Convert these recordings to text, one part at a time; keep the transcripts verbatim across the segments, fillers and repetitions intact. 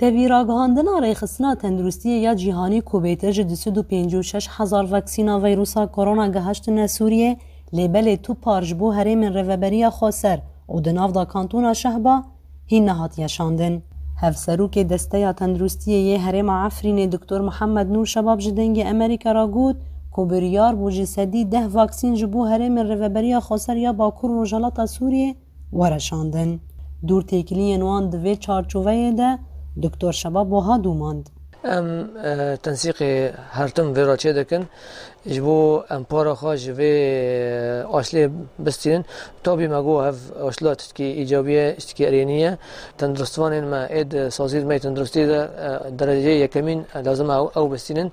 Tevî ragihandina Rêxistina Tenduristiyê ya Cîhanî ku bêtir ji du sed û pêncî û şeş hezar vaksîna vîrusa korona gihiştine Sûriyê, lê belê tu par ji bo herêmên Rêveberiya Xweser û di nav de Kantona Şehba hîn nehatiye şandin. Hevserokê Desteya Tenduristiyê yê Herêma Efrînê Doktor Mihemed Nûr Şebab ji Dengê Amerîka re got ku biryar bû ji sedî deh vaksîn ji bo herêmên Rêveberiya Xweser ya Bakur Rojhilata Sûriyê were şandin. Dûr têkiliyên wan di vê çarçoveyê de Doktor Şebab wiha domand. Em, e, tensîqê her tim vê re çêdikin. Ji bo em para xwe ji vê, e, aşlê bistînin. Tabî me got ev aşla tiştekî îcabî ye, tiştekî erênî ye. Tenduristvanên me ê di saziyê me yê tenduristî de, e, dereceyê yekemîn, e, lazim e ew, ew bistînin.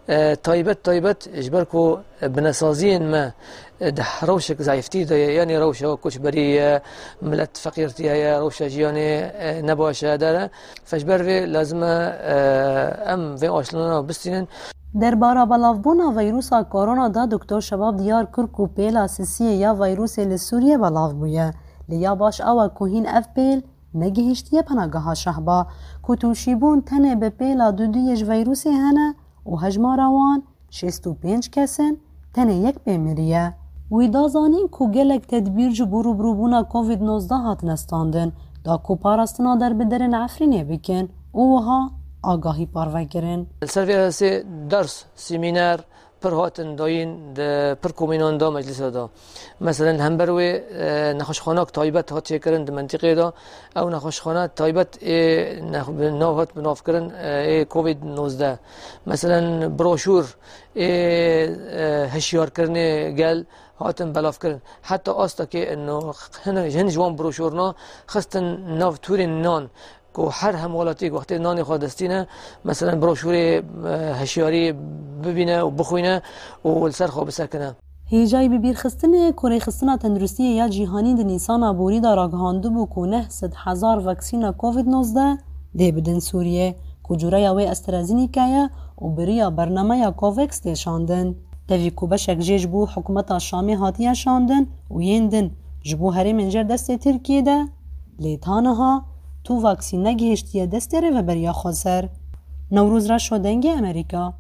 E, taybet, taybet ji ber ku binesaziyên me, e, di rewşek zayîftî de ye, yanî rewşa koçberî ye, milet feqîrtî heye, rewşa jiyanê, e, ne baş e, der e. Fe ji ber vê lazim e, e, em vê aşlana bistînin. Derbara belavbûna vîrusa korona de Doktor Şebab diyar kir ku pêla sisiyê ya vîrusê li Sûriyê belav bûye. Lê ya baş ew e ku hîn ev pêl negihiştiye penageha Şehba, ku tûşîbûn tenê bi pêla duduyê ji vîrusê hene û hejmara wan şêst û pênc kes in, tenê yek pê miriye. Wî da zanîn ku gelek tedbîr ji bo rûbirûbûna Covid nozdeh hatine standin, da ku parastina derbiderên Efrînê bikin û wiha agahî parve kirin. Li ser vê esê ders, semîner pir hatin dayîn, di pir komînan de, meclisa de. Meselen, li hember wê, e, nexweşxanak taybet hat çêkirin di mentiqê de. Ew nexweşxane taybet ê nex-, bi nav hat binavkirin, e, ê Covid nozdeh. Meselen, broşûr ê, e, hişyarkirinê gel hatin belavkirin. Heta astekê ino hin, hin ji wan broşûrna xistin nav tûrên nan ku her hemwelatî wextê nanê xwe destîne, meselen, broşûrê, e, hişyarî bibîne û bixwîne û li ser xwe bisekine. Hêjayî bibîrxistinê ku Rêxistina Tenduristiyê ya Cîhanî di Nîsana borî de ragihandibû ku neh sed hezar vaksîna Covid nozdeh dê bidin Sûriyê, ku cureya wê AstraZeneca ye û bi riya bernameya COVAX tê şandin. Tevî ku beşek jê ji bo hikûmeta Şamê hatiye şandin û yên din ji bo herêmên jêr destê Tirkiyê de, lê ta niha tu vaksîn negihiştiye destê Rêveberiya Xweser. Newroz Reşo, Dengê Amerîka.